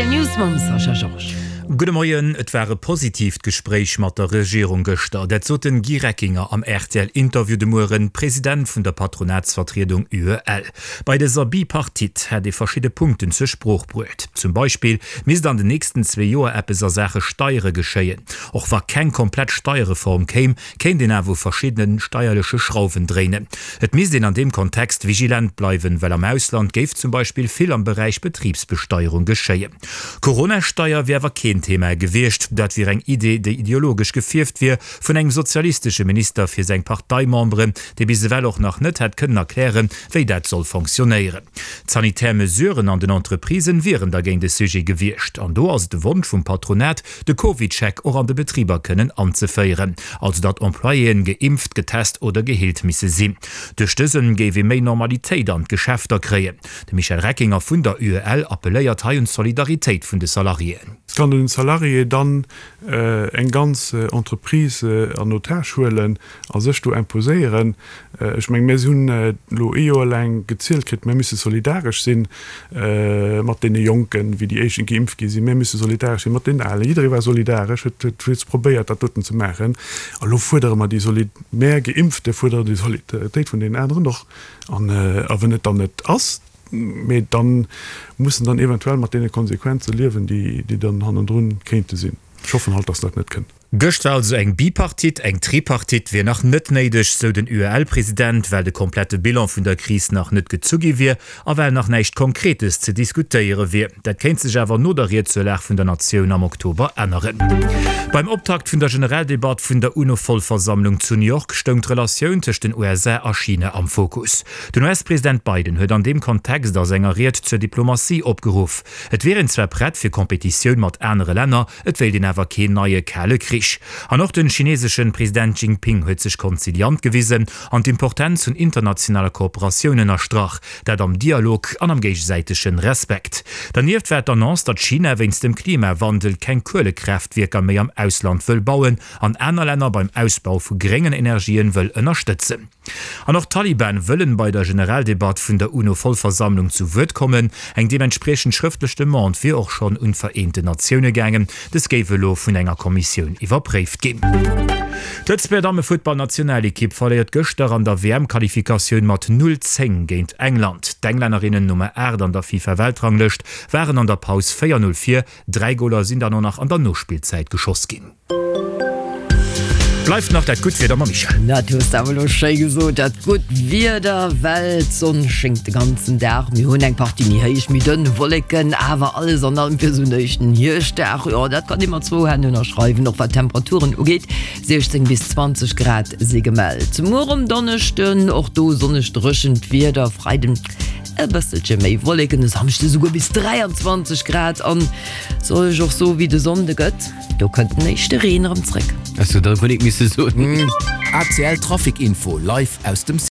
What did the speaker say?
Rtl News mam Sascha Georges. Gudde Moien. Et war e positiivt Gespréich mat der Regierung gëschter. Dat sot den Guy Reckinger am RTL-Interview de Mueren, President vun der Patronatsvertriedung UEL. Bei dëser Bipartite hätt ee verschidde Punkten zur Sprooch bruet. Zum Beispill misst an den nächsten zwee Joer eppes a Saache Steiere geschéien. Och wa keng komplett Steierreform kéim, kéint een awer u verschiddene steierleche Schrauwen dréinen. Et misst een an deem Kontext vigilent bleiwen, well am Ausland géif zum Beispill vill am Beräich Betribsbesteierung geschéien. D'Corona-Steier wier awer keen Thema gewiescht. Dat wier eng Idee, déi ideologesch gefierft wier vun engem sozialistesche Minister fir seng Parteimemberen, dee bis ewell och nach net hätt kënnen erklären, wéi dat soll fonctionnéieren. D'sanitär Mesuren an den Entreprisen wieren dergéint e Sujet gewiescht. An do ass et de Wonsch vum Patronat, de CovidCheck och an de Betriber kënnen anzeféieren, also datt Employéen geimpft, getest oder geheelt misse sinn. Duerch dësen géif ee méi Normalitéit an d'Geschäfter kréien. De Michel Reckinger vun der UEL appelléiert hei un d'Solidaritéit vun de Salariéen. Et kann en Salarié dann eng ganz Entreprise an Otage huelen a sech do imposéieren. Ech mengen, mir hunn elo ee Joer laang gezielt kritt, mir misse solidaresch si mat deene Jonken, wéi déi éischten geimpft gi sinn, mir misse solidaresch si mat deenen Alen. Jidderee war solidaresch, huet huet probéiert, dat doten ze maachen. A lo fuerdere mer déi Soli-, mär Geimpfte fuerderen déi Solidaritéit vun deenen aneren och. An a wenn et dann net ass, mee da mussen dann eventuell mat deene Konsequenze liewen, déi dann hannendrun kéinte sinn. Ech hoffen halt, dass dat net kënnt. Gëscht war also eng Bipartite, eng Tripartite wier nach net néideg, sou den UEL-President, well de komplette Bilan vun der Kris nach net gezu gi wier a well nach näischt Konkretes ze diskutéiere wier. Dat kéint sech awer no der Ried zur Lag vun der Natioun am Oktober änneren. Beim Optakt vun der Generaldebatt vun der UNO-Vollversammlung zu New York stoung d'Relatioun tëscht den USA a China am Fokus. Den US-President Biden huet an deem Kontext a senger Ried zur Diplomatie opgeruff. Et wier een zwar prett fir Kompetitioun mat anere Länner, et wéilt een awer keen neie Kale Krich. An och den chineseschen President Jinping huet sech konziliant gewisen an d'Importenz vun internationaler Kooperatioun ënnerstrach, dat am Dialog an am géigesäitegen Respekt. Dernieft war d'Annonce, datt China wéinst dem Klimawandel keng Kuelekraaftwierker méi am Ausland wëll bauen an aner Länner beim Ausbau vu gréngen Energien wëll ënnerstëtzen. An och d'Taliban wëllen bei der Generaldebatt vun der UNO-Vollversammlung zu Wuert kommen. Eng deementspriechend schrëftlech Demande wier och schonn un d'Vereenten Natioune gaangen. Dës géif elo vun enger Kommissioun iwwerpréift ginn. D'Lëtzebuerger Dammefuttballnationalekipp verléiert gëschter an der WM-Qualifikatioun mat 0, 10 géint England. D'Englännerinnen, Nummer 8 an der FIFA-Weltranglëscht, waren an der Paus 4, 0 vir. Dräi Goler sinn dann och nach an der Nospillzäit geschoss ginn. Bleift nach dat gutt Wieder mam Michèle. Dat hues de awer elo schéi gesot, dat gutt Wieder, well d'Sonn schéngt de ganzen Dag. Mir hunn eng Partie méi héich, méi dënn Wolleken, awer alles an allem fir esou en éischten Hierschtdag, jo, dat kann ee mat zwou Hänn ënnerschreiwen, och wat d'Temperaturen ugeet, 16 bis 20 Grad si gemellt. Muer um Donneschden och do sonneg, dréchent Wieder, Freiden e bësselche méi Wolleken, e Samschde souguer bis 23 Grad an soll ech och soe wéi de Sonnde gëtt? Do kënnt den éischte Reen erëm zréck. Ech hu der guer nik misse soen. ACL Trafic Info live aus dem.